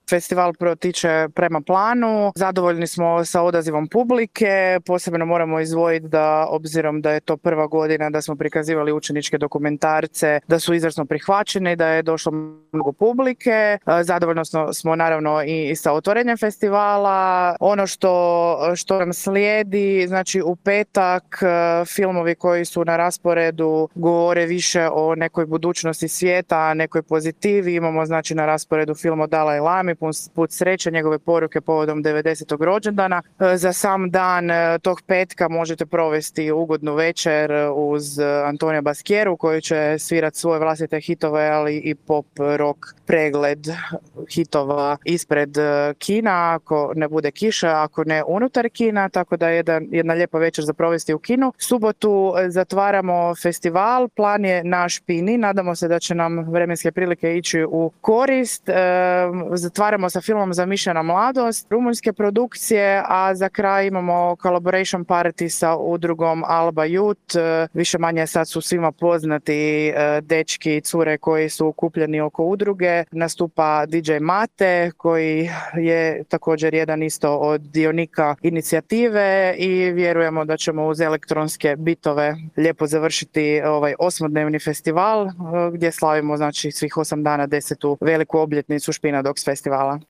Festival protiče prema planu, zadovoljni smo sa odazivom publike, posebno moramo izdvojiti da, obzirom da je to prva godina da smo prikazivali učeničke dokumentarce, da su izvrsno prihvaćeni, da je došlo mnogo publike. Zadovoljno smo naravno i sa otvorenjem festivala. Ono što nam slijedi, znači u petak filmovi koji su na rasporedu govore više o nekoj budućnosti svijeta, nekoj pozitivi. Imamo znači na rasporedu film o Dalaj Lami, Put sreće, njegove poruke povodom 90. rođendana. Za sam dan tog petka možete provesti ugodnu večer uz Antonija Baskieru koji će svirati svoje vlastite hitove, ali i pop rock pregled hitova ispred kina, ako ne bude kiše, ako ne unutar kina, tako da je jedna lijepa večer za provesti u kinu. Subotu zatvaramo festival, plan je na Špini, nadamo se da će nam vremenske prilike ići u korist. Zatvaramo sa filmom Zamišljena mladost, rumunjske produkcije, a za kraj imamo collaboration party sa udrugom Alba Youth. Više manje sad su svima poznati dečki i cure koji su okupljeni oko udruge. Nastupa DJ Mate koji je također jedan isto od dionika inicijative i vjerujemo da ćemo uz elektronske bitove lijepo završiti ovaj 8-dnevni festival gdje slavimo znači svih 8 dana 10. veliku obljetnicu Špina Dogs festivala.